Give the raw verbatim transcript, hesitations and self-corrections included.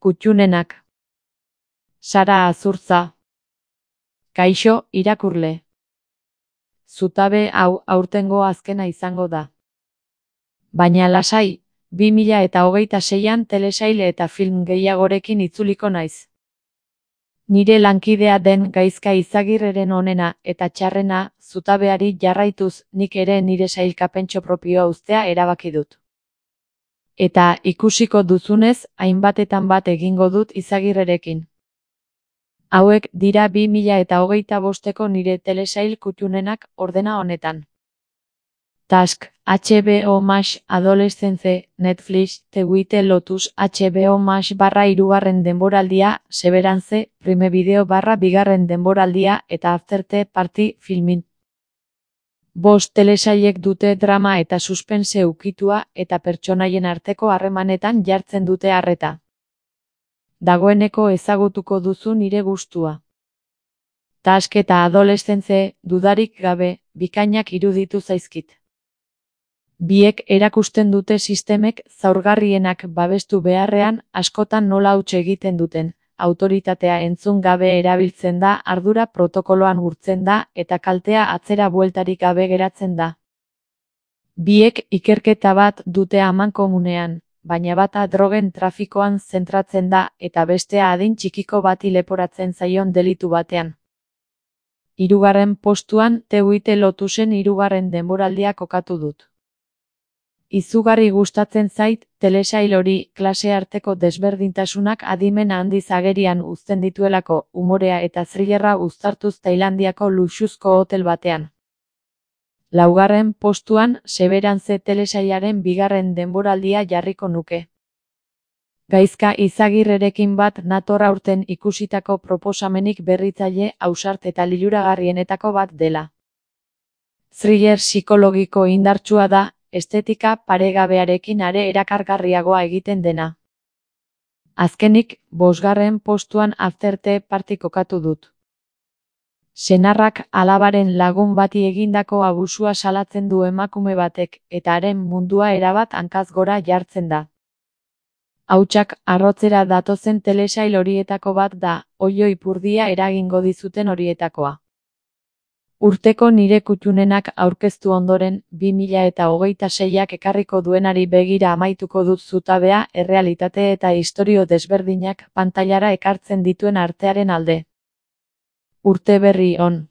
Kuttunenak. Sara Azurtza. Kaixo, irakurle. Zutabe hau aurtengo azkena izango da. Baina lasai, bi mila eta hogeita seian telesail eta film gehiagorekin itzuliko naiz. Nire lankidea den Gaizka Izagirreren onena eta txarrena zutabeari jarraituz nik ere nire sailkapentxo propioa uztea erabaki dut. Eta ikusiko duzunez, hainbatetan bat egingo dut Izagirrerekin. Hauek dira bi mila eta hogeita bosteko nire telesail kuttunenak ordena honetan. Task, H B O Max Adolescence, Netflix, The White Lotus, H B O Max barra hirugarren denboraldia, Severance, Prime Video barra bigarren denboraldia eta After the Party filmin. Bost telesailek dute drama eta suspense ukitua eta pertsonaien arteko harremanetan jartzen dute arreta. Dagoeneko ezagutuko duzu nire gustua. Task eta Adolescence, dudarik gabe, bikainak iruditu zaizkit. Biek erakusten dute sistemek zaurgarrienak babestu beharrean askotan nola huts egiten duten, autoritatea entzun gabe erabiltzen da, ardura protokoloan urtzen da eta kaltea atzera bueltarik gabe geratzen da. Biek ikerketa bat dute amankomunean, baina bata drogen trafikoan zentratzen da eta bestea adin txikiko bati leporatzen zaion delitu batean. Hirugarren postuan The White Lotusen hirugarren denboraldia kokatu dut. Izugarri gustatzen zait, telesail hori klase arteko desberdintasunak adimen handiz agerian uzten dituelako, umorea eta thrillerra uztartuz Tailandiako luxuzko hotel batean. Laugarren postuan Severance telesailaren bigarren denboraldia jarriko nuke. Gaizka Izagirrerekin bat nator aurten ikusitako proposamenik berritzaile, ausart eta liluragarrienetako bat dela. Thriller psikologiko indartsua da, estetika paregabearekin are erakargarriagoa egiten dena. Azkenik, bosgarren postuan After the Party kokatu dut. Senarrak alabaren lagun bati egindako abusua salatzen du emakume batek eta haren mundua erabat hankaz gora jartzen da. Hautsak arrotzera datozen telesail horietako bat da, oilo ipurdia eragingo dizuten horietakoa. Urteko nire kuttunenak aurkeztu ondoren, bi mila eta hogeita seiak ekarriko duenari begira amaituko dut zutabea, errealitate eta istorio desberdinak pantailara ekartzen dituen artearen alde. Urte berri on.